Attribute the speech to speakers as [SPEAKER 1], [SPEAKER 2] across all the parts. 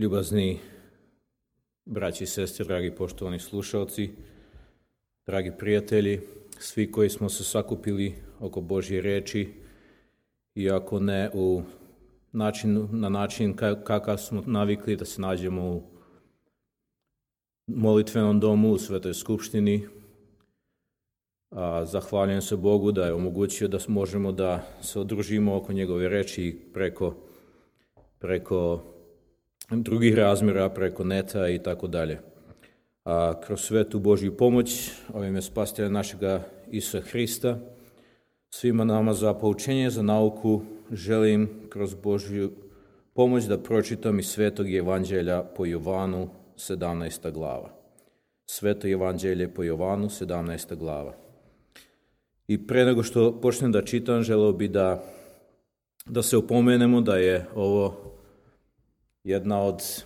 [SPEAKER 1] Ljubazni braći i sestre, dragi poštovani slušalci, dragi prijatelji, svi koji smo se sakupili oko Božje reči, iako ne na način kakav smo navikli da se nađemo u molitvenom domu, u Svetoj skupštini. Zahvaljujem se Bogu da je omogućio da možemo da se udružimo oko njegove reči preko drugih razmjera, preko neta i tako dalje. A kroz svetu Božju pomoć, ovime spasitelja našega Isusa Hrista, svima nama za poučenje, za nauku, želim kroz Božju pomoć da pročitam iz Svetog Evanđelja po Jovanu, 17. glava. Sveto Evanđelje po Jovanu, 17. glava. I pre nego što počnem da čitam, želeo bi da se upomenemo da je ovo jedna od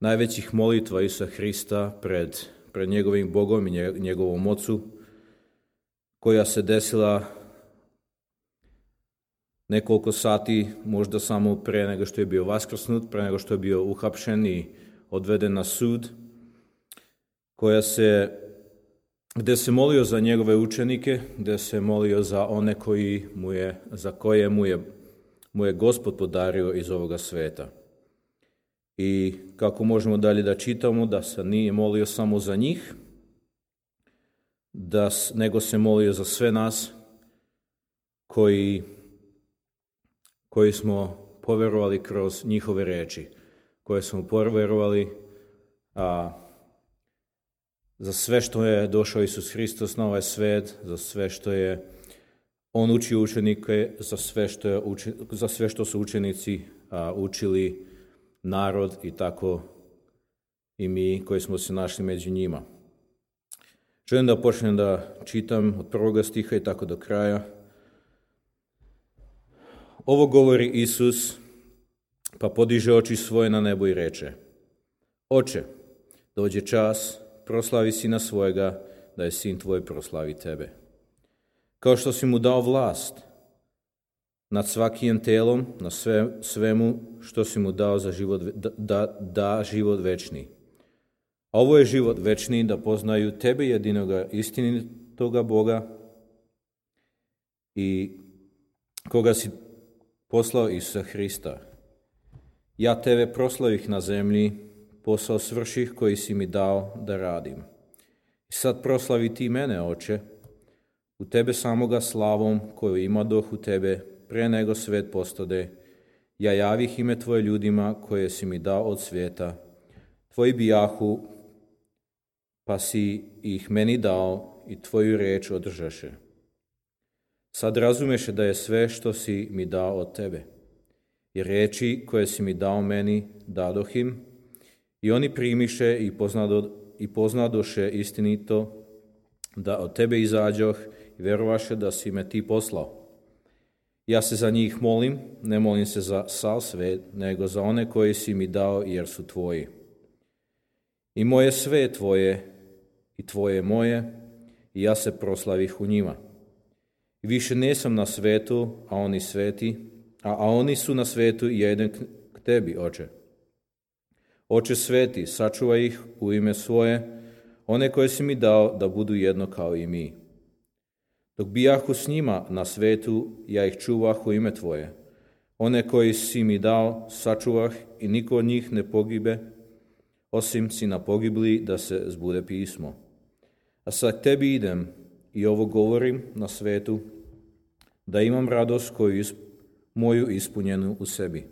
[SPEAKER 1] najvećih molitva Isusa Hrista pred njegovim Bogom i njegovom Ocu, koja se desila nekoliko sati, možda samo pre nego što je bio vaskrsnut, pre nego što je bio uhapšen i odveden na sud, gde se molio za njegove učenike, gde se molio za one za koje mu je Gospod podario iz ovoga sveta. I kako možemo dalje da čitamo, da se nije molio samo za njih, nego se molio za sve nas koji smo poverovali kroz njihove reči, koje smo poverovali za sve što je došao Isus Hristos na ovaj svet, za sve što je On učio učenike, za sve što su učenici učili narod i tako i mi koji smo se našli među njima. Želim da počnem da čitam od 1. stiha i tako do kraja. Ovo govori Isus, pa podiže oči svoje na nebo i reče: Oče, dođe čas, proslavi sina svojega, da je sin tvoj proslavi tebe. Kao što si mu dao vlast nad svakim telom, na svemu što si mu dao za život, da život večni. A ovo je život večni, da poznaju tebe, jedinoga istinitoga Boga, i koga si poslao Isusa Hrista. Ja tebe proslavih na zemlji, posao svrših koji si mi dao da radim. I sad proslavi ti mene, Oče, u tebe samoga slavom koju imadoh u tebe pre nego svet postade. Ja javih ime tvoje ljudima koje si mi dao od svijeta. Tvoji bijahu, pa si ih meni dao i tvoju reč održaše. Sad razumeše da je sve što si mi dao od tebe. I reči koje si mi dao meni dadoh im, i oni primiše i poznadoše istinito da od tebe izađoh i verovaše da si me ti poslao. Ja se za njih molim, ne molim se za sav svet, nego za one koji si mi dao jer su tvoji. I moje sve je tvoje i tvoje moje, i ja se proslavih u njima. I više nesam na svetu, a oni su na svetu i ja idem k tebi, Oče. Oče sveti, sačuvaj ih u ime svoje, one koje si mi dao, da budu jedno kao i mi. Dok bijahu s njima na svetu, ja ih čuvah u ime tvoje. One koji si mi dao, sačuvah, i niko od njih ne pogibe, osim sina pogibli, da se zbude pismo. A sad tebi idem i ovo govorim na svetu, da imam radost moju ispunjenu u sebi.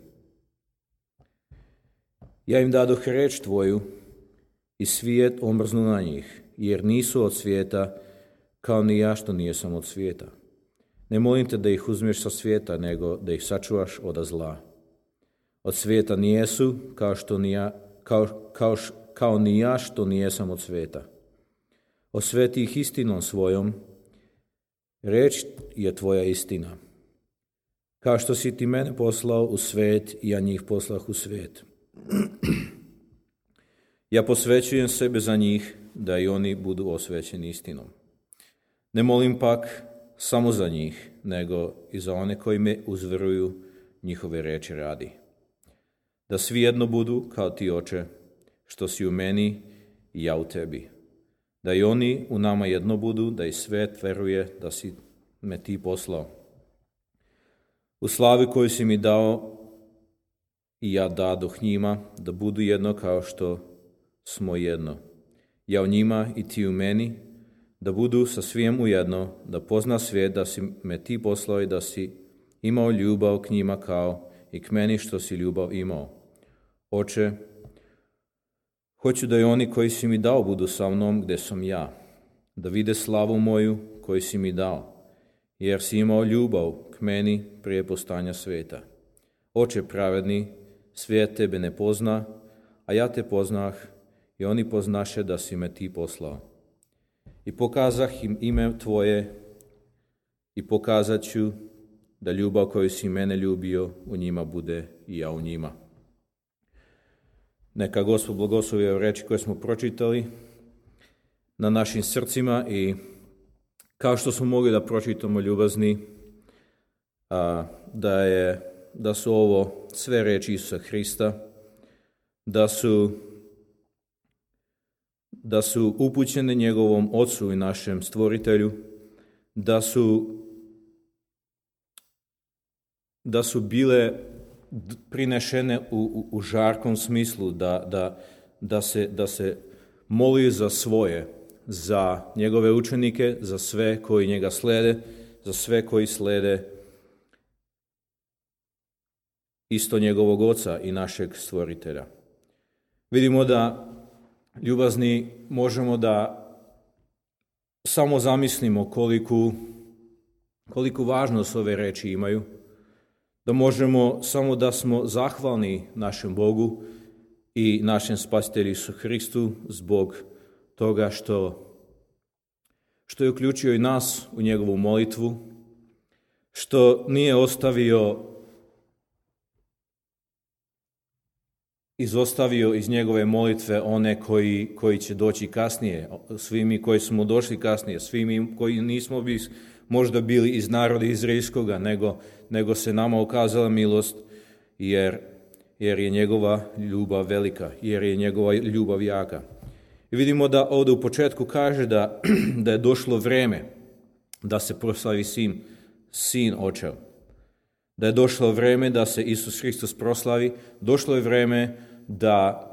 [SPEAKER 1] Ja im dadoh reč tvoju i svijet omrznu na njih, jer nisu od svijeta, kao ni ja što nijesam od svijeta. Ne molim te da ih uzmeš sa svijeta, nego da ih sačuvaš od zla. Od svijeta nijesu, kao ni ja što nijesam od svijeta. Osveti ih istinom svojom, reč je tvoja istina. Kao što si ti mene poslao u svijet, ja njih poslah u svijet. Ja posvećujem sebe za njih, da i oni budu osvećeni istinom. Ne molim pak samo za njih, nego i za one koji me uzveruju njihove reči radi. da svi jedno budu kao ti, Oče, što si u meni i ja u tebi. Da i oni u nama jedno budu, da i svet veruje da si me ti poslao. U slavi koju si mi dao i ja dadoh njima, da budu jedno kao što smo jedno. Ja u njima i ti u meni, da budu sa svijem ujedno, da pozna svijet da si me ti poslao i da si imao ljubav k njima kao i k meni što si ljubav imao. Oče, hoću da i oni koji si mi dao budu sa mnom gdje sam ja, da vide slavu moju koju si mi dao, jer si imao ljubav k meni prije postanja svijeta. Oče pravedni, svijet tebe ne pozna, a ja te poznah i oni poznaše da si me ti poslao. I pokazah im ime tvoje i pokazat ću da ljubav koju si mene ljubio u njima bude i ja u njima. Neka Gospod blagoslovi ove reči koje smo pročitali na našim srcima i kao što smo mogli da pročitamo, ljubazni, da su ovo sve reči Isusa Hrista, da su upućene njegovom Ocu i našem Stvoritelju, da su bile prinešene u žarkom smislu, da se moli za svoje, za njegove učenike, za sve koji njega slede, za sve koji slede isto njegovog Oca i našeg Stvoritelja. Vidimo da, ljubazni, možemo da samo zamislimo koliku važnost ove reči imaju, da možemo samo da smo zahvalni našem Bogu i našem Spasitelju Isu Hristu zbog toga što je uključio i nas u njegovu molitvu, što nije izostavio iz njegove molitve one koji će doći kasnije, svi mi koji smo došli kasnije, svi mi koji nismo možda bili iz naroda izraelskoga, nego se nama ukazala milost, jer je njegova ljubav velika, jer je njegova ljubav jaka. I vidimo da ovdje u početku kaže da je došlo vrijeme da se proslavi sin Očev. Da je došlo vrijeme da se Isus Hristos proslavi, došlo je vrijeme da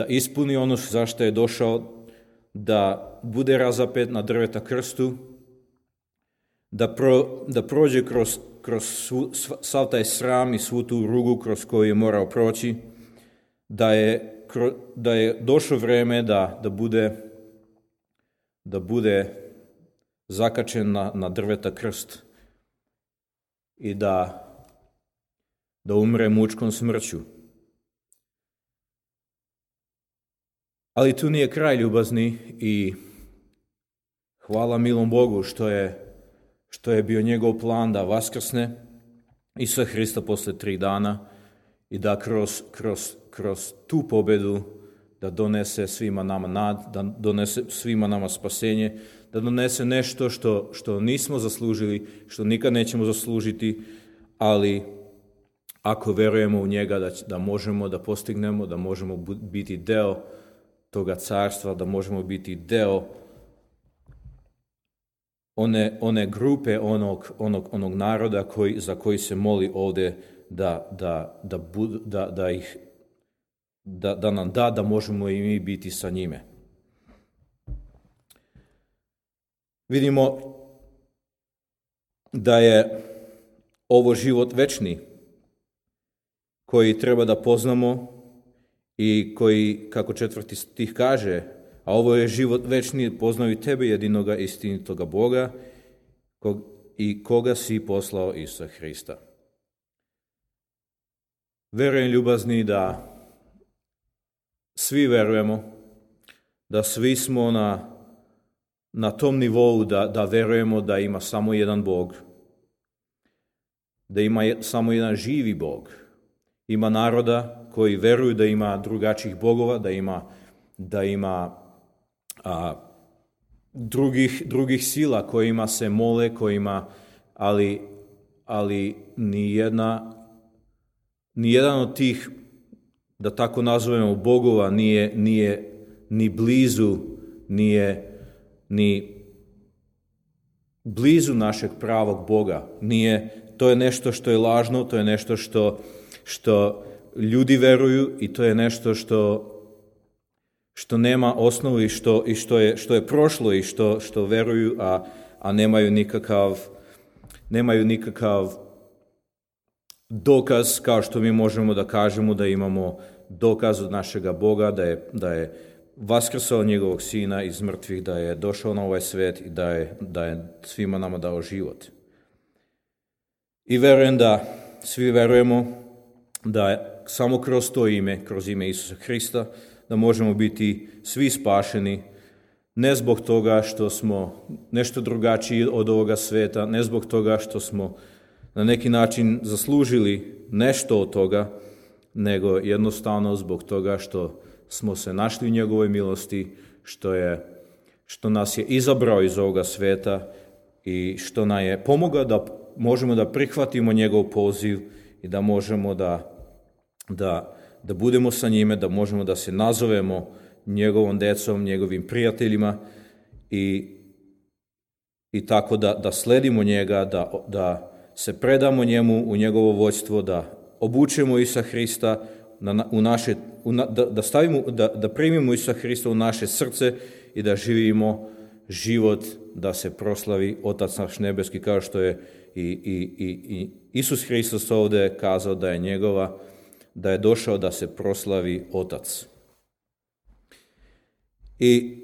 [SPEAKER 1] ispuni ono zašto je došao, da bude razapet na drveta krstu, da prođe kroz sav taj sram i svu tu rugu kroz koju je morao proći, da je došlo vrijeme da bude zakačen na drveta krst i da umre mučkom smrću. Ali tu nije kraj, ljubazni, i hvala milom Bogu što je bio njegov plan da vaskrsne Isusa Hrista posle 3 dana i da kroz tu pobedu da donese svima nama da donese svima nama spasenje, da donese nešto što nismo zaslužili, što nikad nećemo zaslužiti, ali ako verujemo u njega da možemo da postignemo, da možemo biti deo toga carstva, da možemo biti deo one grupe, onog naroda za koji se moli ovdje da nam da možemo i mi biti sa njime. Vidimo da je ovo život večni koji treba da poznamo i koji, kako 4. stih kaže, a ovo je život večni, poznaju tebe, jedinoga istinitoga Boga i koga si poslao Isusa Hrista. Verujem, ljubazni, da svi verujemo, da svi smo na tom nivou da verujemo da ima samo jedan Bog, da ima samo jedan živi Bog. Ima naroda koji veruju da ima drugačijih bogova, da ima drugih sila kojima se mole, ali nijedan od tih da tako nazovemo bogova, nije ni blizu, nije ni blizu našeg pravog Boga. To je nešto što je lažno, to je nešto što ljudi veruju i to je nešto što nema osnovu i što je prošlo i što veruju, a nemaju nikakav dokaz, kao što mi možemo da kažemo da imamo dokaz od našega Boga, da je vaskrsao njegovog sina iz mrtvih, da je došao na ovaj svet i da je svima nama dao život. I verujem da svi verujemo da je samo kroz to ime, kroz ime Isusa Hrista, da možemo biti svi spašeni, ne zbog toga što smo nešto drugačiji od ovoga sveta, ne zbog toga što smo na neki način zaslužili nešto od toga, nego jednostavno zbog toga što smo se našli u njegovoj milosti, što nas je izabrao iz ovoga sveta i što nam je pomogao da možemo da prihvatimo njegov poziv i da možemo da budemo sa njime, da možemo da se nazovemo njegovom decom, njegovim prijateljima i tako da sledimo njega, da se predamo njemu u njegovo vođstvo, da obučemo Isusa Hrista da primimo Isusa Hrista u naše srce i da živimo život da se proslavi Otac naš nebeski, kao što je i Isus Hristos ovdje kazao da je došao da se proslavi Otac. I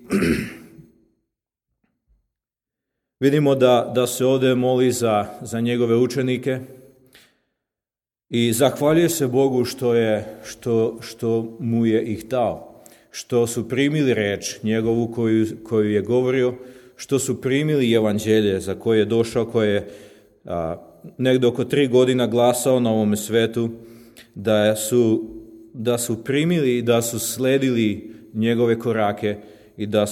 [SPEAKER 1] vidimo da se ovdje moli za njegove učenike i zahvaljuje se Bogu što mu je ih dao, što su primili reč njegovu koju je govorio, što su primili evanđelje za koje je došao, koje je negdje oko 3 godina glasao na ovome svetu, da su primili i da su sledili njegove korake i da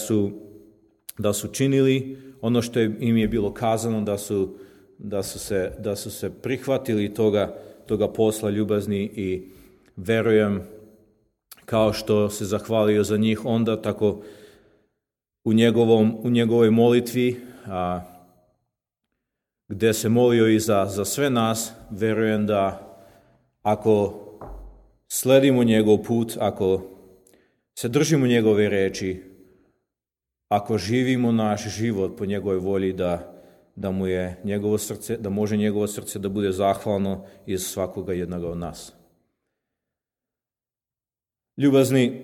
[SPEAKER 1] su činili ono što im je bilo kazano, da su se prihvatili toga posla ljubazni i verujem kao što se zahvalio za njih onda, tako u njegovoj molitvi gdje se molio i za sve nas, verujem da ako sledimo njegov put, ako se držimo njegove reči, ako živimo naš život po njegovoj volji, da mu je njegovo srce, da može njegovo srce da bude zahvalno iz svakoga jednoga od nas. Ljubazni,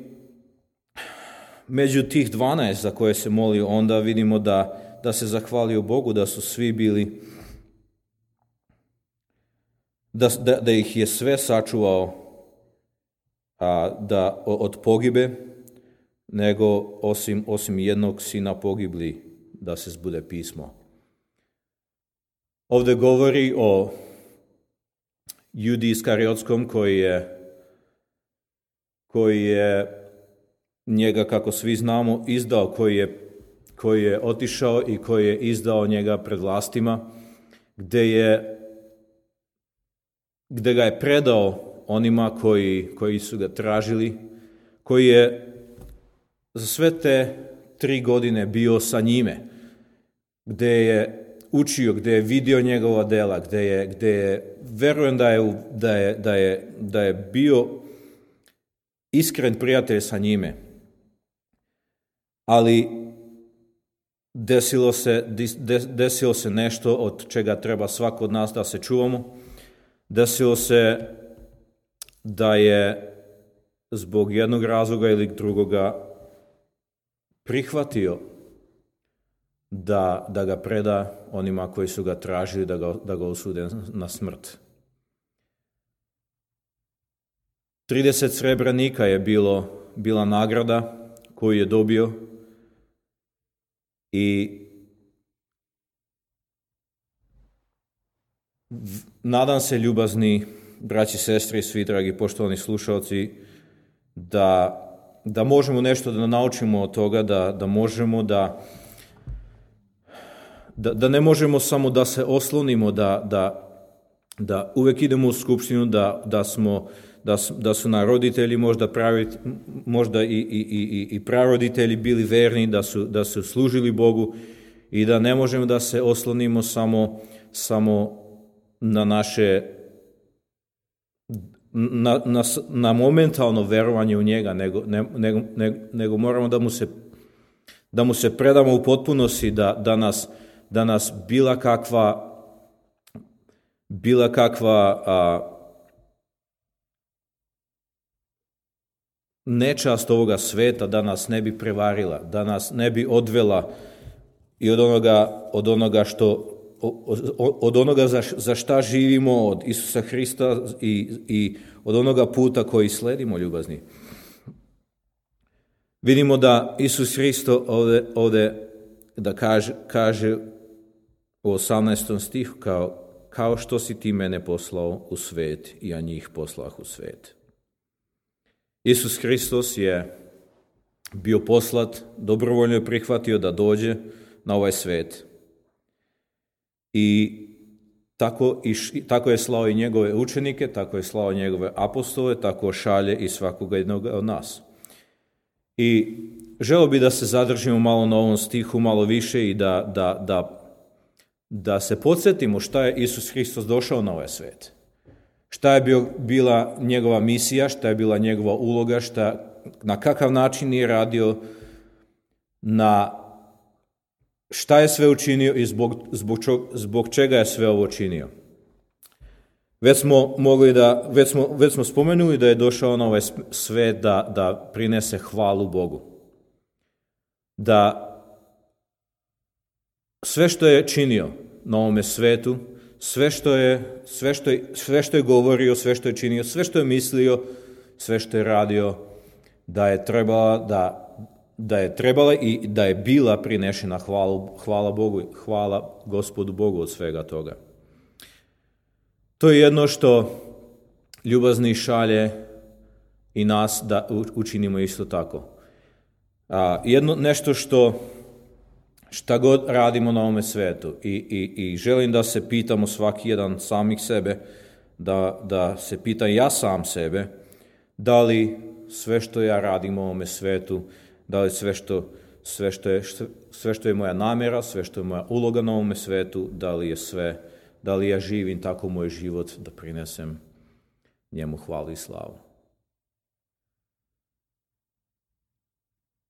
[SPEAKER 1] među tih 12 za koje se molio, onda vidimo da se zahvalio Bogu, da su svi bili, da ih je sve sačuvao od pogibe, nego osim jednog sina pogibli, da se zbude pismo. Ovdje govori o Judi Iskariotskom koji je njega, kako svi znamo, izdao, koji je otišao i koji je izdao njega pred vlastima, gdje ga je predao onima koji su ga tražili, koji je za sve te 3 godine bio sa njime, gdje je učio, gdje je vidio njegova dela, gdje je verujem da je bio iskren prijatelj sa njime. Ali desilo se nešto od čega treba svako od nas da se čuvamo. Desilo se da je zbog jednog razloga ili drugoga prihvatio da ga preda onima koji su ga tražili da ga osude na smrt. 30 srebrnika je bila nagrada koju je dobio i nadam se, ljubazni braći, sestre i svi dragi poštovani slušalci, da možemo nešto da naučimo od toga, da možemo da ne možemo samo da se oslonimo, da uvek idemo u skupštinu, da su nam roditelji možda i praroditelji bili verni, da su služili Bogu i da ne možemo da se oslonimo samo na naše na momentalno verovanje u njega, nego moramo da mu se predamo u potpunosti, da nas bila kakva nečast ovoga sveta da nas ne bi prevarila, da nas ne bi odvela i od onoga za šta živimo, od Isusa Hrista i od onoga puta koji sledimo, ljubazni. Vidimo da Isus Hristo ovde da kaže u 18. stihu kao što si ti mene poslao u svet, i ja njih poslah u svet. Isus Hristos je bio poslat, dobrovoljno je prihvatio da dođe na ovaj svet. I tako je slao i njegove učenike, tako je slao njegove apostole, tako šalje i svakoga jednog od nas. I želeo bi da se zadržimo malo na ovom stihu, malo više i da se podsjetimo šta je Isus Hristos došao na ovaj svet. Šta je bila njegova misija, šta je bila njegova uloga, na kakav način je radio, šta je sve učinio i zbog čega je sve ovo činio. Već smo spomenuli da je došao na ovaj svet da prinese hvalu Bogu. Da sve što je činio na ovome svetu, sve što je govorio, sve što je činio, sve što je mislio, sve što je radio, da je trebala i da je bila prinešena hvala Bogu, hvala Gospodu Bogu od svega toga. To je jedno što ljubazni šalje i nas da učinimo isto tako. Nešto šta god radimo na ovome svetu i želim da se pitamo svaki jedan samih sebe, da se pitam ja sam sebe, da li sve što ja radim u ovome svetu, da li sve što je moja namjera, sve što je moja uloga na ovome svetu, da li ja živim tako moj život da prinesem njemu hvalu i slavu.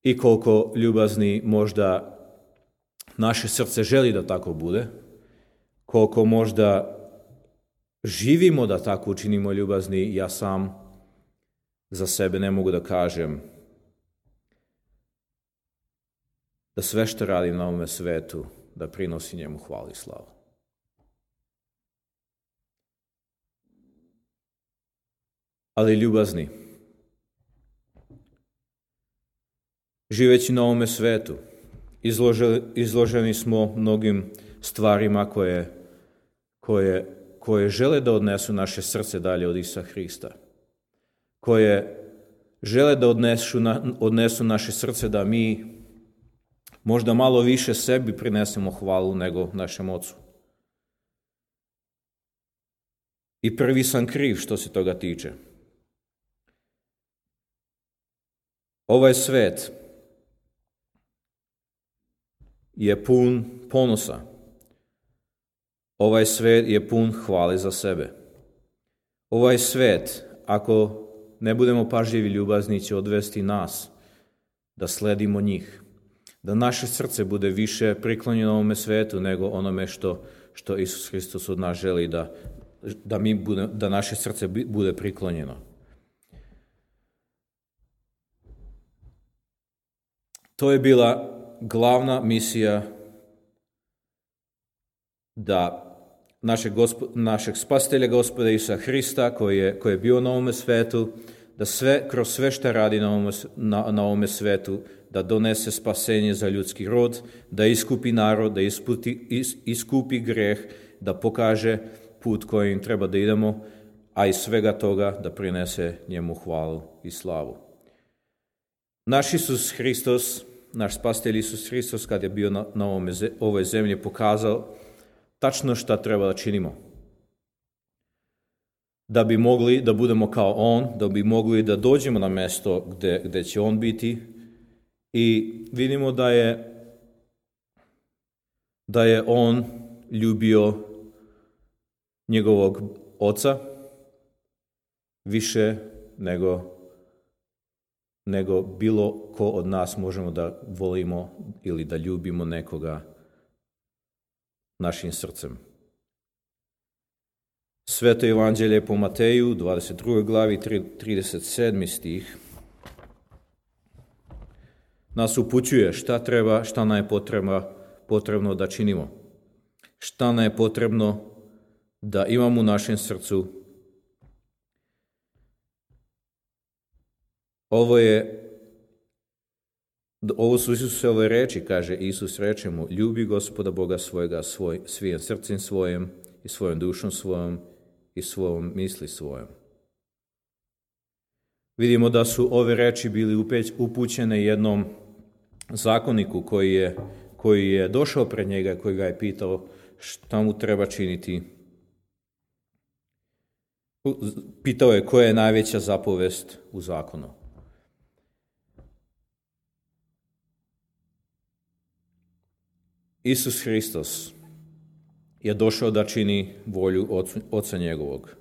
[SPEAKER 1] I koliko ljubazni možda naše srce želi da tako bude, koliko možda živimo da tako učinimo, ljubazni, ja sam za sebe ne mogu da kažem da sve što radim na ovome svetu da prinosi njemu hvalu i slavu. Ali ljubazni, živeći na ovome svetu, izloženi smo mnogim stvarima koje žele da odnesu naše srce dalje od Isusa Hrista, koje žele da odnesu naše srce da mi možda malo više sebi prinesemo hvalu nego našem Ocu. I prvi sam kriv što se toga tiče. Ovaj svet je pun ponosa. Ovaj svet je pun hvale za sebe. Ovaj svet, ako ne budemo pažljivi, ljubazni, će odvesti nas da sledimo njih. Da naše srce bude više priklonjeno ovome svetu nego onome što Isus Hristos od nas želi da naše srce bude priklonjeno. To je bila glavna misija da našeg spasitelja Gospoda Isusa Hrista koji je bio na ovome svetu, da kroz sve što radi na ovome svetu, da donese spasenje za ljudski rod, da iskupi narod, da iskupi greh, da pokaže put kojim treba da idemo, a iz svega toga da prinese njemu hvalu i slavu. Naš Isus Hristos, naš spasitelj Isus Hristos, kad je bio na ovoj zemlji, pokazao tačno šta treba da činimo. da bi mogli da budemo kao on, da bi mogli da dođemo na mesto gde će on biti. I vidimo da je on ljubio njegovog oca više nego bilo ko od nas možemo da volimo ili da ljubimo nekoga našim srcem. Sveto evanđelje po Mateju, 22. glavi, 37. stih, nas upućuje šta nam je potrebno da činimo. Šta nam je potrebno da imamo u našem srcu. Ovo su Isusove reči, kaže Isus, reče mu: ljubi Gospoda Boga svojega svim srcem svojim i svojom dušom svojom i svojom misli svojom. Vidimo da su ove reči bili upućene jednom zakoniku koji je došao pred njega, koji ga je pitao šta mu treba činiti. Pitao je koja je najveća zapovest u zakonu. Isus Hristos je došao da čini volju Oca njegovog.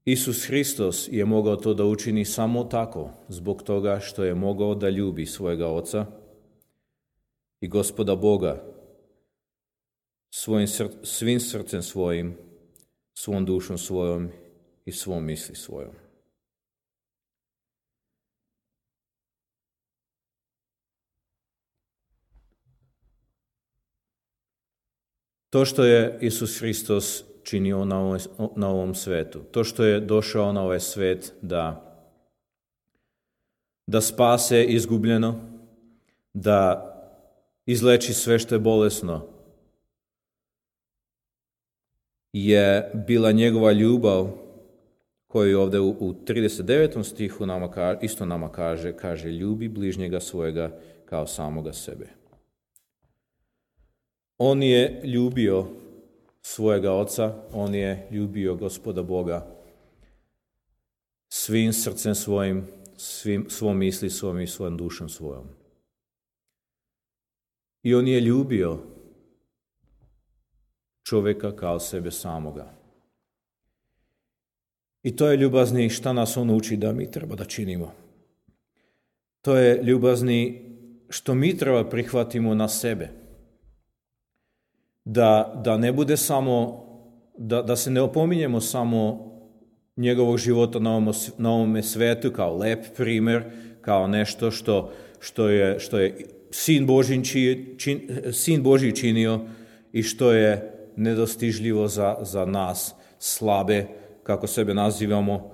[SPEAKER 1] Isus Hristos je mogao to da učini samo tako, zbog toga što je mogao da ljubi svojega Oca i Gospoda Boga svim srcem svojim, svom dušom svojom i svom misli svojom. To što je Isus Hristos činio na ovom svetu, to što je došao na ovaj svet da spase izgubljeno, da izleči sve što je bolesno, je bila njegova ljubav koju ovdje u 39. stihu nama kaže ljubi bližnjega svojega kao samoga sebe. On je ljubio svojega Oca, on je ljubio Gospoda Boga svim srcem svojim, svom misli svojom i svojom dušom svojom. I on je ljubio čovjeka kao sebe samoga. I to je ljubazni šta nas on uči da mi treba da činimo. To je ljubazni što mi treba prihvatimo na sebe. Da ne bude samo, da se ne opominjemo samo njegovog života na ovome svetu kao lep primjer, kao nešto što je Sin Božji činio i što je nedostižljivo za nas slabe, kako sebe nazivamo,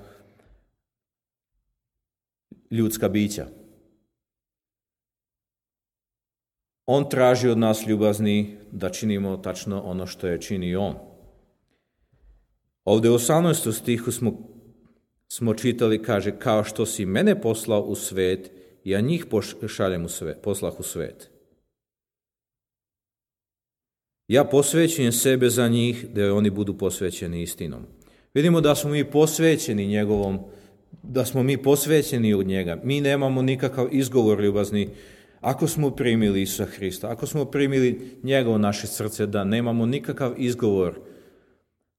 [SPEAKER 1] ljudska bića. On traži od nas ljubazni da činimo tačno ono što je činio on. Ovdje u 18. stihu smo čitali, kaže, kao što si mene poslao u svet, ja njih poslah u svet. Ja posvećujem sebe za njih, da oni budu posvećeni istinom. Vidimo da smo mi posvećeni da smo mi posvećeni od njega. Mi nemamo nikakav izgovor ljubazni. Ako smo primili Isusa Hrista, ako smo primili njega u naše srce, da nemamo nikakav izgovor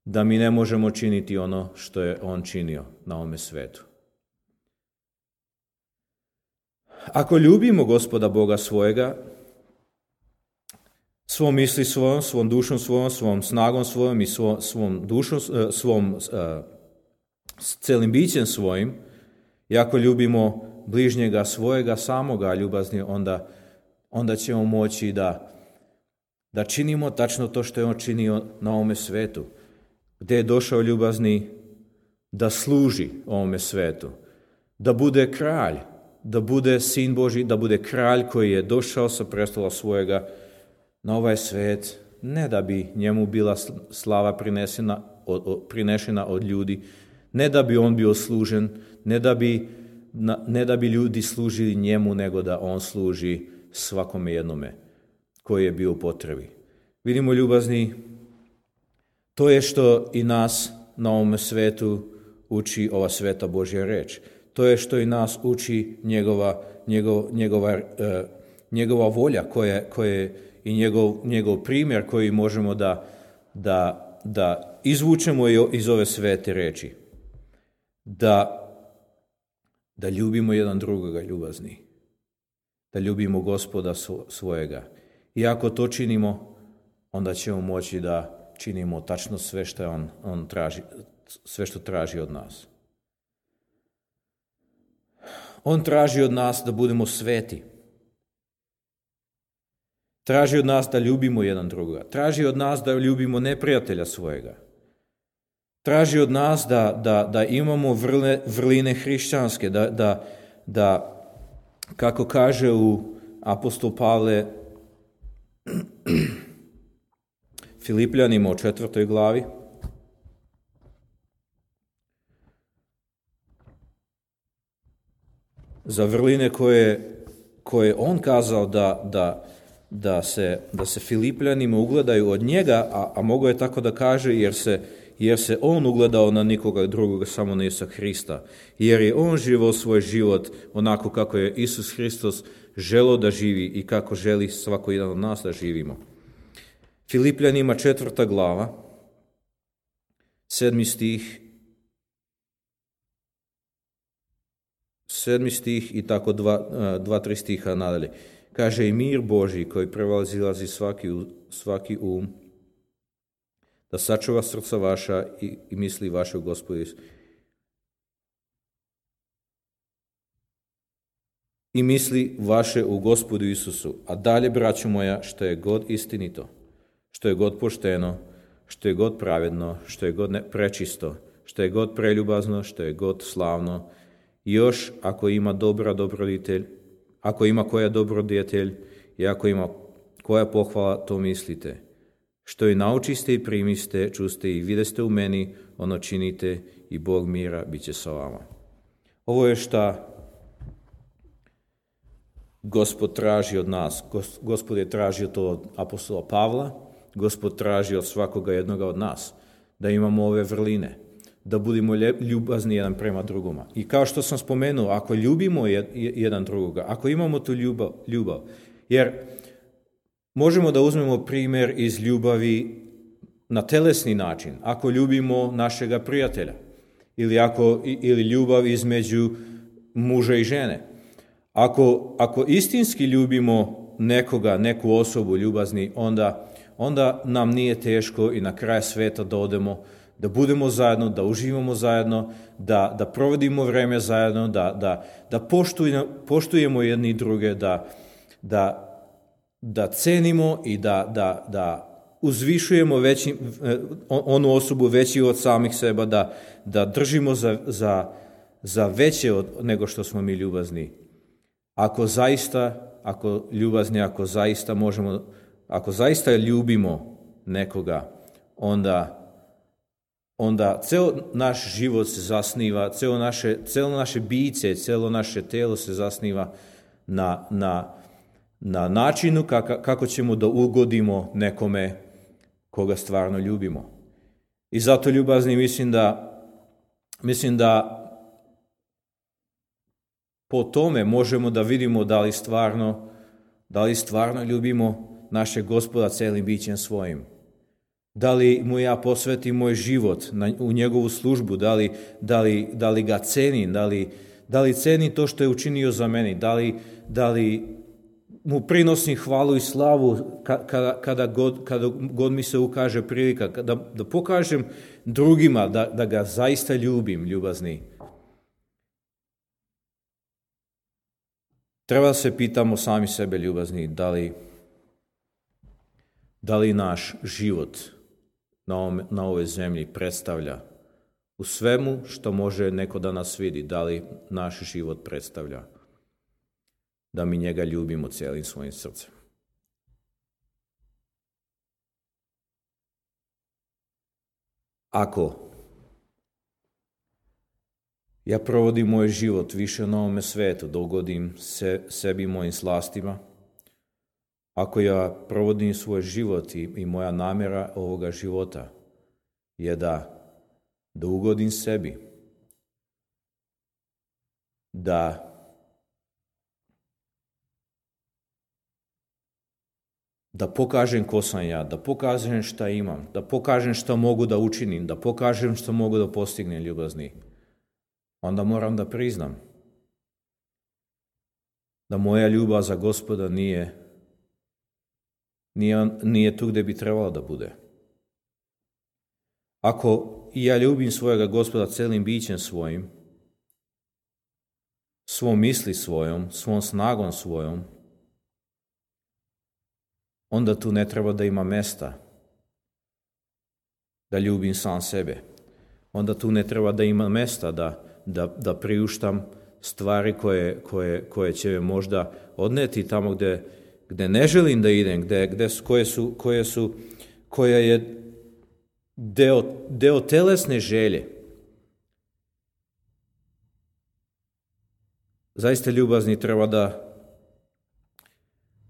[SPEAKER 1] da mi ne možemo činiti ono što je on činio na ovome svetu. Ako ljubimo Gospoda Boga svojega, svom misli svojom, svom dušom svojom, svom snagom svojom i svom dušom, celim bićem svojim, i ako ljubimo bližnjega svojega samoga ljubazni, onda ćemo moći da činimo tačno to što je on činio na ovome svetu, gdje je došao ljubazni da služi ovome svetu, da bude kralj, da bude Sin Božji, da bude kralj koji je došao sa prestola svojega na ovaj svet, ne da bi njemu bila slava prinešena od ljudi, ne da bi on bio služen, ne da bi ljudi služili njemu, nego da on služi svakome jednome koji je bio u potrebi. Vidimo ljubazni To je što i nas na ovome svetu uči ova sveta Božja reč. To je što i nas uči njegova volja koje i njegov primjer koji možemo da izvučemo iz ove svete reči. Da ljubimo jedan drugoga, ljubazni. Da ljubimo Gospoda svojega. I ako to činimo, onda ćemo moći da činimo tačno sve što on traži, sve što traži od nas. On traži od nas da budemo sveti. Traži od nas da ljubimo jedan drugoga. Traži od nas da ljubimo neprijatelja svojega. Traži od nas da imamo vrline hrišćanske, da kako kaže u apostol Pavle Filipljanima u 4. glavi, za vrline koje on kazao da se Filipljanima ugledaju od njega, a mogo je tako da kaže jer se on ugledao na nikoga drugoga, samo na Isusa Hrista. Jer je on živio svoj život onako kako je Isus Hristos želeo da živi i kako želi svako jedan od nas da živimo. Filipljanima 4. glava, 7. stih i tako 2-3 stiha nadalje. Kaže i mir Božji koji prevazilazi svaki da sačuva srca vaša i misli vaše u Gospodu Isusu. I misli vaše u Gospodu Isusu. A dalje, braćo moja, što je god istinito, što je god pošteno, što je god pravedno, što je god prečisto, što je god preljubazno, što je god slavno, još ako ima ako ima koja dobrodjetelj i ako ima koja pohvala, to mislite. Što i naučiste i primiste, čuste i videste u meni, ono činite i Bog mira bit će sa vama. Ovo je šta Gospod traži od nas. Gospod je tražio to od apostola Pavla, Gospod traži od svakoga jednoga od nas, da imamo ove vrline, da budemo ljubazni jedan prema drugoma. I kao što sam spomenuo, ako ljubimo jedan drugoga, ako imamo tu ljubav, jer možemo da uzmemo primjer iz ljubavi na telesni način, ako ljubimo našega prijatelja, ili ljubav između muža i žene. Ako istinski ljubimo neku osobu ljubazni, onda nam nije teško i na kraj sveta da odemo, da budemo zajedno, da uživamo zajedno, da provodimo vreme zajedno, da poštujemo jedni druge, da cenimo i da uzvišujemo onu osobu veći od samih seba, da držimo za veće nego što smo mi ljubazni. Ako zaista ljubimo nekoga, onda ceo naš život se zasniva, celo naše biće, celo naše telo se zasniva na načinu kako ćemo da ugodimo nekome koga stvarno ljubimo. I zato, ljubazni, mislim da po tome možemo da vidimo da li stvarno ljubimo našeg Gospoda celim bićem svojim. Da li mu ja posvetim moj život u njegovu službu, da li ga cenim, da li cenim to što je učinio za meni, da li mu prinosim hvalu i slavu kada god mi se ukaže prilika, da pokažem drugima da ga zaista ljubim, ljubazni. Treba se pitamo sami sebe, ljubazni, da li naš život na ovoj zemlji predstavlja u svemu što može neko da nas vidi, da li naš život predstavlja da mi njega ljubimo cijelim svojim srcem. Ako ja provodim moj život više na ovome svetu, da ugodim sebi i mojim slastima, ako ja provodim svoj život i moja namjera ovoga života je da ugodim sebi, da pokažem ko sam ja, da pokažem šta imam, da pokažem šta mogu da učinim, da pokažem šta mogu da postignem, ljubazni. Onda moram da priznam da moja ljubav za Gospoda nije tu gde bi trebalo da bude. Ako i ja ljubim svojega Gospoda celim bićem svojim, svom misli svojom, svom snagom svojom, onda tu ne treba da ima mesta da ljubim sam sebe. Onda tu ne treba da ima mesta da priuštam stvari koje će me možda odneti tamo gde ne želim da idem, koja je deo telesne želje. Zaista, ljubazni, treba da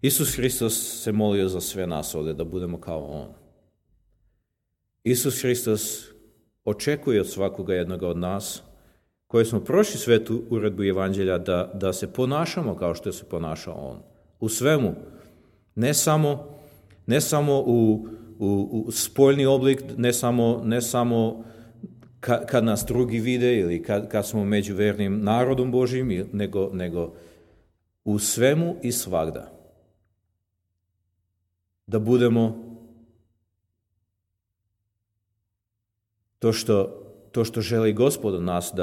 [SPEAKER 1] Isus Hristos se molio za sve nas ovdje, da budemo kao On. Isus Hristos očekuje od svakoga jednoga od nas, koji smo prošli svetu uredbu Evanđelja, da se ponašamo kao što se ponaša On. U svemu. Ne samo u spoljni oblik, ne samo kad nas drugi vide ili kad smo među vernim narodom Božjim, nego u svemu i svagda. Da budemo to što želi Gospod od nas,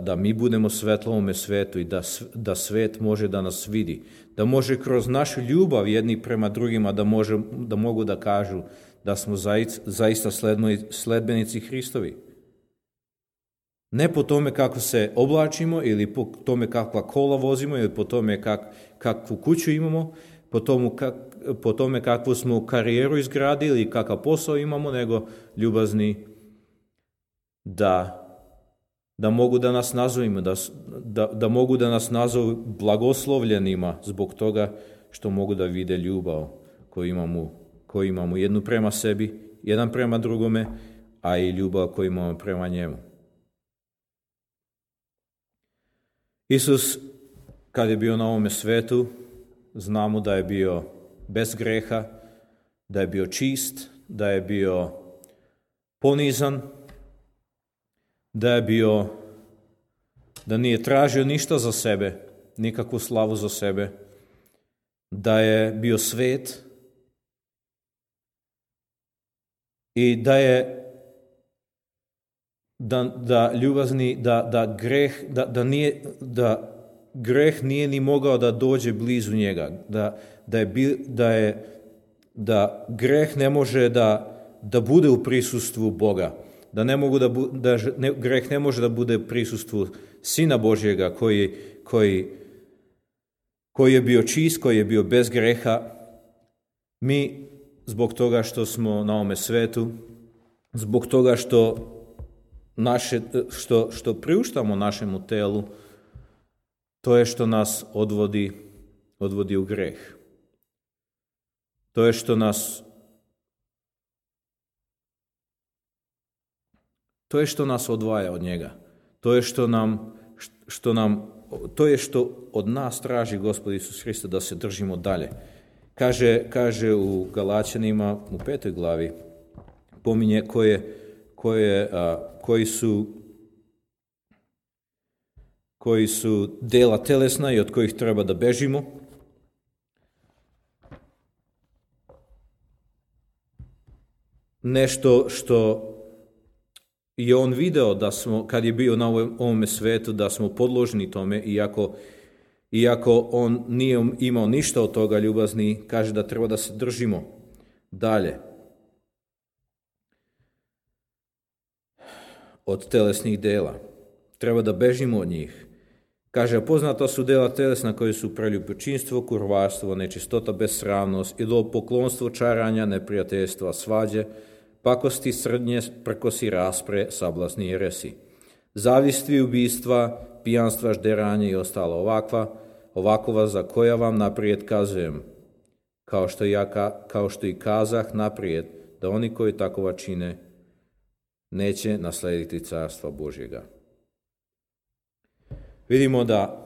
[SPEAKER 1] da mi budemo svetlo ovome svetu i da svet može da nas vidi. Da može kroz našu ljubav jedni prema drugima da mogu da kažu da smo zaista sledbenici Hristovi. Ne po tome kako se oblačimo ili po tome kakva kola vozimo ili po tome kakvu kuću imamo, po tome kakvu smo karijeru izgradili i kakav posao imamo, nego ljubazni da mogu da nas nazovimo, da mogu da nas nazovu blagoslovljenima zbog toga što mogu da vide ljubav koju imamo jednu prema sebi, jedan prema drugome, a i ljubav koju imamo prema njemu. Isus, kad je bio na ovome svetu, znamo da je bio bez greha, da je bio čist, da je bio ponizan, da nije tražio ništa za sebe, nikakvu slavu za sebe, da je bio svet i da ljubazni, da greh nije ni mogao da dođe blizu njega, da greh ne može da bude u prisustvu Boga, greh ne može da bude u prisustvu Sina Božjega koji je bio čist, koji je bio bez greha. Mi, zbog toga što smo na ovome svetu, zbog toga što priuštamo našemu telu, to je što nas odvodi u greh. To je što nas odvaja od njega. To je što od nas traži Gospod Isus Hristos, da se držimo dalje. Kaže u Galaćanima u 5. glavi, pominje koji su dela telesna i od kojih treba da bežimo. Nešto što je on video da smo, kad je bio na ovome svetu, da smo podložni tome, iako on nije imao ništa od toga, ljubazni, kaže da treba da se držimo dalje od telesnih dela. Treba da bežimo od njih. Kaže, poznata su dela telesna koji su preljubočinstvo, kurvarstvo, nečistota, besramnost, idolopoklonstvo, čaranja, neprijateljstva, svađe, pakosti, srdnje, prkosi, raspre, sablasni jeresi, zavisti, ubistva, pijanstva, žderanje i ostalo ovakova za koja vam naprijed kazujem, kao što i kazah naprijed, da oni koji takova čine neće naslediti carstva Božjega. Vidimo da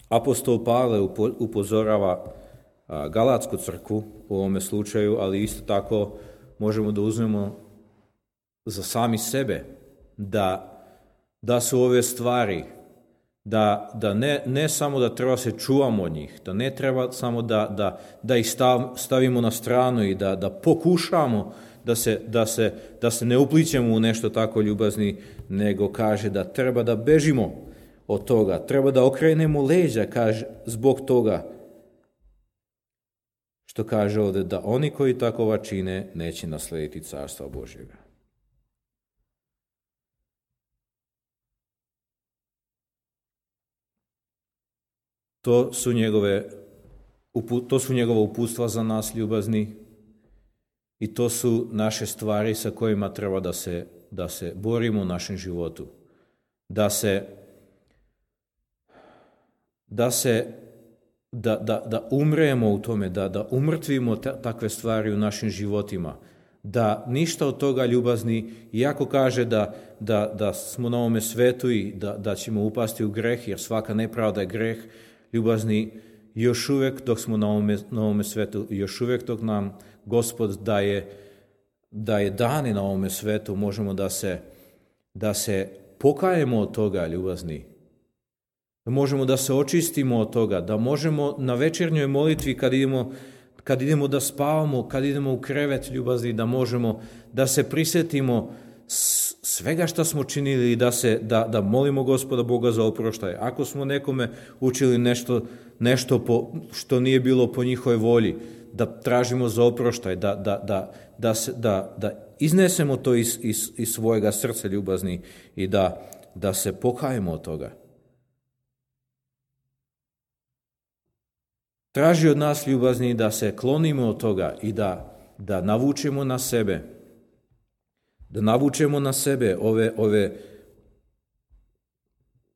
[SPEAKER 1] apostol Pavle upozorava Galatsku crkvu u ovome slučaju, ali isto tako možemo da uzmemo za sami sebe da su ove stvari, da ne samo da treba se čuvamo od njih, da ne treba samo da ih stavimo na stranu i da pokušamo da se ne uplićemo u nešto tako ljubazni, nego kaže da treba da bežimo od toga, treba da okrenemo leđa, kaže, zbog toga što kaže ovdje da oni koji takova čine neće naslediti carstva Božjega. To su njegova uputstva za nas ljubazni i to su naše stvari sa kojima treba da se borimo u našem životu. Da umremo u tome, da umrtvimo takve stvari u našim životima, da ništa od toga ljubazni, iako kaže da smo na ovome svetu i da ćemo upasti u greh, jer svaka nepravda je greh, ljubazni, još uvijek dok smo na ovome svetu, još uvijek dok nam Gospod daje dane na ovome svetu, možemo da se pokajemo od toga, ljubazni. Da možemo da se očistimo od toga, da možemo na večernjoj molitvi kad idemo da spavamo, kad idemo u krevet, ljubazni, da možemo da se prisjetimo svega što smo činili i da molimo Gospoda Boga za oproštaj. Ako smo nekome učili nešto što nije bilo po njihovoj volji, da tražimo za oproštaj, da iznesemo to iz svojega srca, ljubazni, i da se pokajemo od toga. Traži od nas, ljubazni, da se klonimo od toga i da navučemo na sebe. Da navučemo na sebe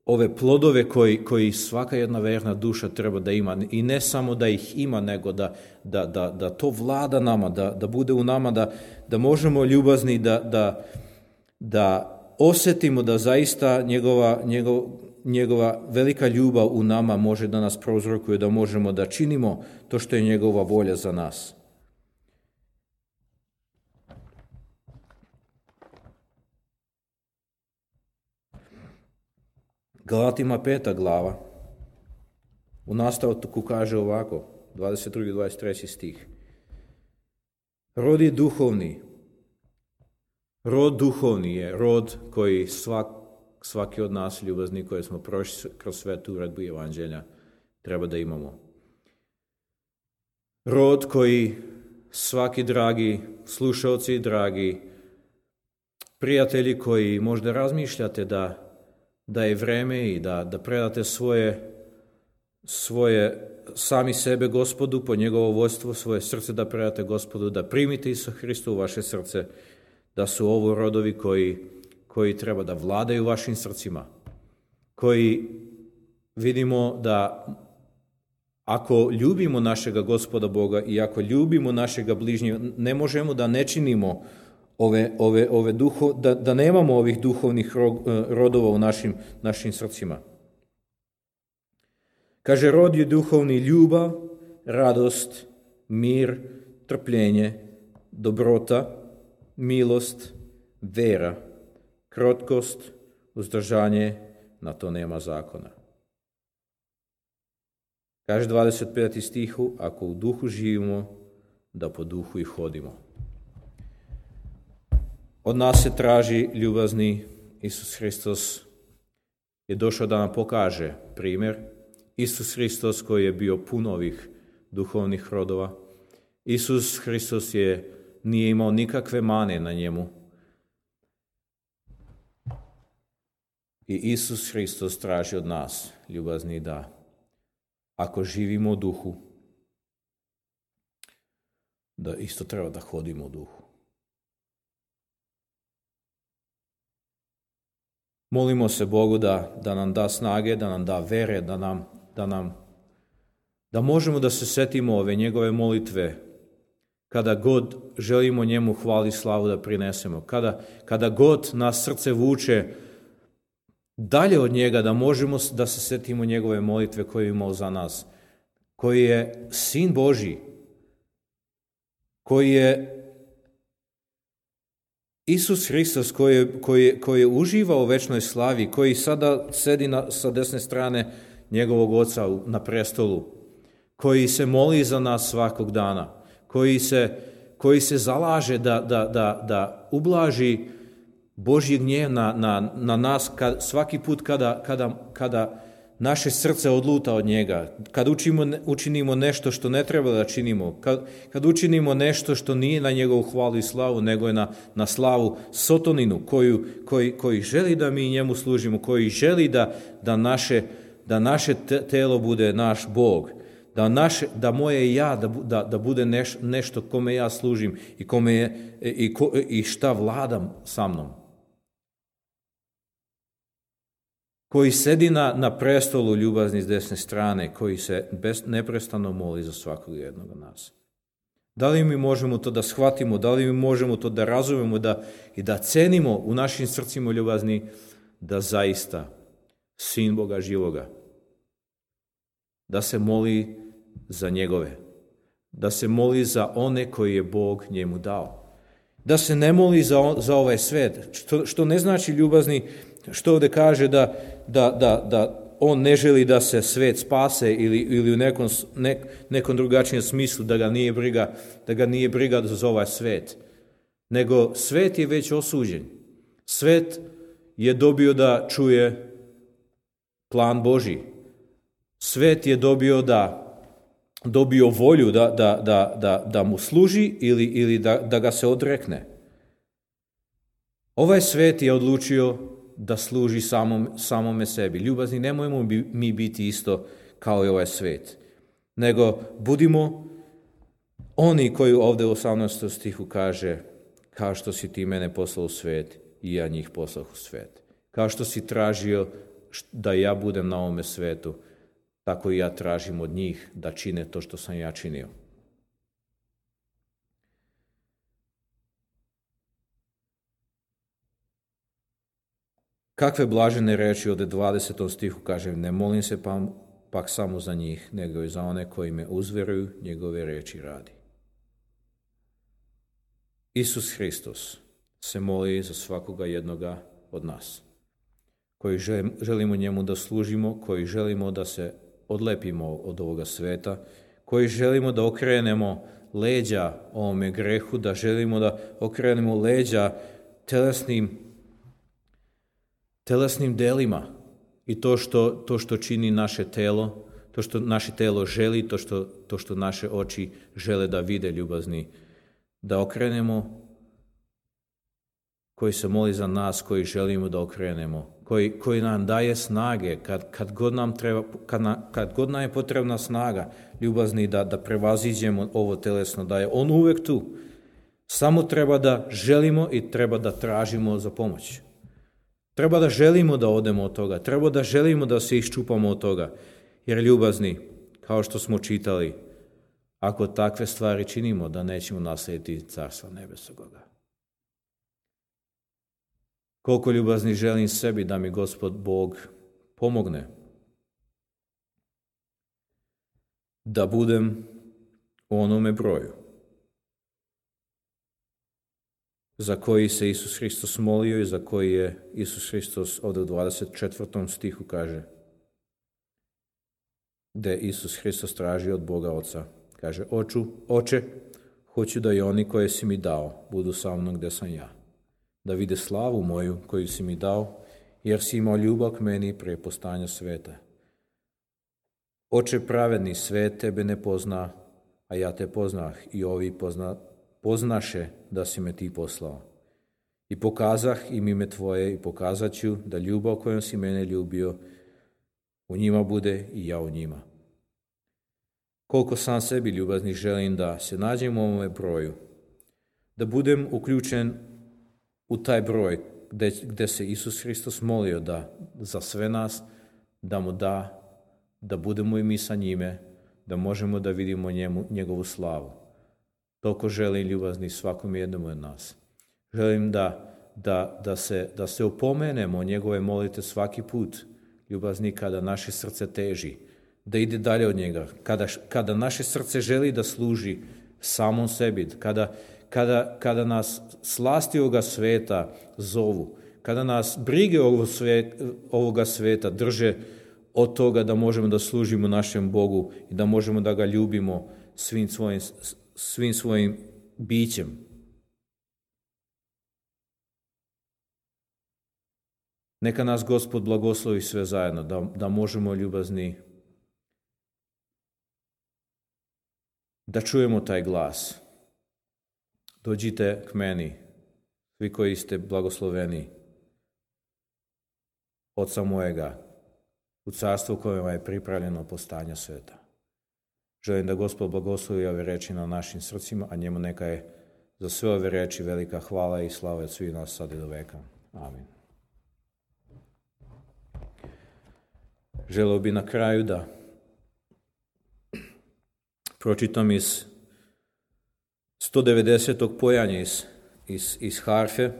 [SPEAKER 1] ove plodove koji svaka jedna verna duša treba da ima. I ne samo da ih ima, nego da to vlada nama, da bude u nama, da možemo, ljubazni, da osjetimo da zaista njegova velika ljubav u nama može da nas prouzrokuje, da možemo da činimo to što je njegova volja za nas. Galatima 5. glava u nastavku kaže ovako, 22. i 23. stih. Rod je duhovni. Rod duhovni je rod koji svaki od nas, ljubazni, koji smo prošli kroz svetu uredbu evanđelja, treba da imamo. Rod koji svaki dragi slušalci, dragi prijatelji koji možda razmišljate da je vreme i da predate svoje sami sebe Gospodu po njegovo vodstvo, svoje srce da predate Gospodu, da primite Isusa Hrista u vaše srce, da su ovo rodovi koji treba da vladaju vašim srcima, koji vidimo da ako ljubimo našega Gospoda Boga i ako ljubimo našega bližnjega, ne možemo da ne činimo da nemamo ovih duhovnih rodova u našim srcima. Kaže, rod je duhovni: ljubav, radost, mir, trpljenje, dobrota, milost, vera, krotkost, uzdržanje, na to nema zakona. Kaže 25. stihu, ako u duhu živimo, da po duhu i hodimo. Od nas se traži, ljubazni, Isus Hristos je došao da nam pokaže primjer. Isus Hristos koji je bio pun ovih duhovnih rodova. Isus Hristos nije imao nikakve mane na njemu. I Isus Hristos traži od nas, ljubazni, da ako živimo u duhu, da isto treba da hodimo u duhu. Molimo se Bogu da nam da snage, da nam da vere, da možemo da se setimo ove njegove molitve kada god želimo njemu hvali i slavu da prinesemo, kada god nas srce vuče dalje od njega, da možemo da se setimo njegove molitve koje je imao za nas, koji je Sin Božji, koji je Isus Hristos, koji je uživao u večnoj slavi, koji sada sedi sa desne strane njegovog Oca na prestolu, koji se moli za nas svakog dana, koji se zalaže da ublaži Božji gnjev na nas svaki put kada naše srce odluta od njega, kad učinimo nešto što ne treba da činimo, kad učinimo nešto što nije na njegovu hvalu i slavu, nego je na slavu sotoninu koji želi da mi njemu služimo, koji želi da naše telo bude naš Bog, da moje ja da bude nešto kome ja služim i šta vladam sa mnom. Koji sedi na prestolu ljubazni s desne strane, koji se neprestano moli za svakog jednog od nas. Da li mi možemo to da shvatimo, da li mi možemo to da razumemo i da cenimo u našim srcima ljubazni da zaista Sin Boga živoga, da se moli za njegove, da se moli za one koji je Bog njemu dao, da se ne moli za ovaj svet, što ne znači ljubazni, što ovdje kaže da on ne želi da se svet spase ili u nekom drugačijem smislu da ga nije briga za ovaj svet, nego svet je već osuđen. Svet je dobio da čuje plan Božji. Svet je dobio volju da mu služi ili da ga se odrekne. Ovaj svet je odlučio da služi samome sebi. Ljubazni, nemojmo mi biti isto kao i ovaj svet, nego budimo oni koji ovdje u 18. stihu kaže: kao što si ti mene poslao u svet i ja njih poslao u svet. Kao što si tražio da ja budem na ovome svetu, tako i ja tražim od njih da čine to što sam ja činio. Kakve blažene reči od 20. stihu kaže: ne molim se pak samo za njih, nego i za one koji me uzveruju njegove reči radi. Isus Hristos se moli za svakoga jednoga od nas, koji želimo njemu da služimo, koji želimo da se odlepimo od ovoga sveta, koji želimo da okrenemo leđa ovome grehu, da želimo da okrenemo leđa telesnim delima i to što čini naše telo, to što naše telo želi, to što naše oči žele da vide, ljubazni, da okrenemo, koji se moli za nas, koji želimo da okrenemo, koji nam daje snage kad god nam je potrebna snaga, ljubazni, da prevaziđemo ovo telesno, da je on uvek tu. Samo treba da želimo i treba da tražimo za pomoć. Treba da želimo da odemo od toga, treba da želimo da se iščupamo od toga, jer ljubazni, kao što smo čitali, ako takve stvari činimo, da nećemo naslijediti carstva nebesogoga. Koliko ljubazni želim sebi da mi Gospod Bog pomogne da budem u onome broju za koji se Isus Hristos molio i za koji je Isus Hristos ovdje u 24. stihu kaže, gdje Isus Hristos traži od Boga Oca. Kaže: Oče, hoću da i oni koje si mi dao budu sa mnom gdje sam ja, da vide slavu moju koju si mi dao, jer si imao ljubav k meni prije postojanja sveta. Oče pravedni, svet tebe ne pozna, a ja te poznah i ovi poznaše da si me ti poslao. I pokazah im ime tvoje i pokazat ću da ljubav kojom si mene ljubio u njima bude i ja u njima. Koliko sam sebi ljubazni želim da se nađem u ovome broju, da budem uključen u taj broj gdje se Isus Hristos molio da za sve nas da mu da budemo i mi sa njime, da možemo da vidimo njegovu slavu. Toliko želim, ljubazni, svakom jednom od nas. Želim da se opomenemo njegove molite svaki put, ljubazni, kada naše srce teži, da ide dalje od njega, kada naše srce želi da služi samom sebi, kada nas slasti ovoga sveta zovu, kada nas brige ovoga sveta drže od toga da možemo da služimo našem Bogu i da možemo da ga ljubimo svim svojim bićem. Neka nas Gospod blagoslovi sve zajedno, da možemo, ljubazni, da čujemo taj glas. Dođite k meni, svi koji ste blagosloveni, Oca mojega, u carstvu kojima je pripravljeno po stanja sveta. Želim da Gospod blagoslovi ove reči na našim srcima, a njemu neka je za sve ove reči velika hvala i slava od svih nas sad i do veka. Amin. Želeo bi na kraju da pročitam iz 190. pojanja iz harfe,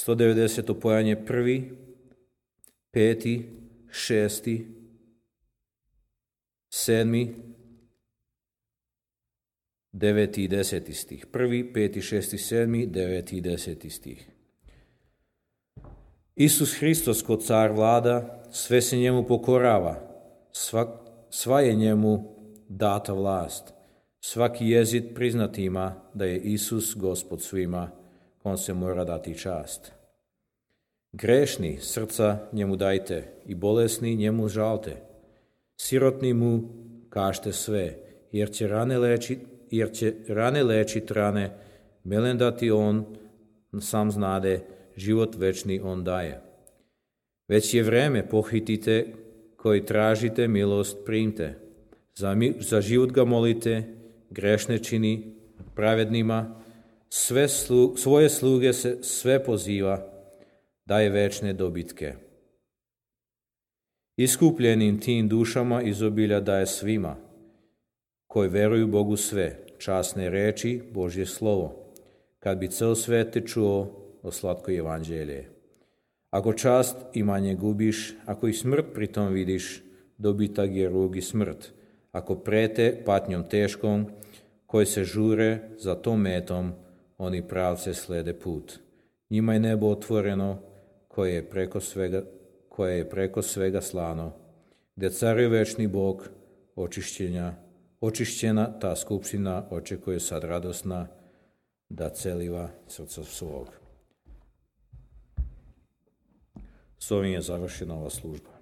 [SPEAKER 1] 190. pojanje 1., 5., 6., 7., 9. i 10. stih. 1., 5., 6., 7., 9. i 10. stih. Isus Hristos ko car vlada, sve se njemu pokorava, sva je njemu data vlast. Svaki jezik priznat ima da je Isus Gospod svima, kom se mora dati čast. Grešni srca njemu dajte i bolesni njemu žalte. Sirotni mu kažte sve, jer će rane lečit rane, melen dati on sam znade, život večni on daje. Već je vreme, pohitite, koji tražite milost primte. Za život ga molite, grešne čini pravednima, svoje sluge se sve poziva, daje večne dobitke. Iskupljenim tim dušama izobilja daje svima, koji veruju Bogu sve, časne reči, Božje slovo, kad bi cel svet te čuo o slatko evanđelje. Ako čast imanje gubiš, ako i smrt pritom vidiš, dobitak je rug i smrt. Ako prete patnjom teškom, koji se žure za tom metom, oni pravce slede put. Njima je nebo otvoreno, koje je preko svega slano, gdje caruje večni Bog, očišćena ta skupština očekuje sad radosna, da celiva srca svog. S ovim je završena ova služba.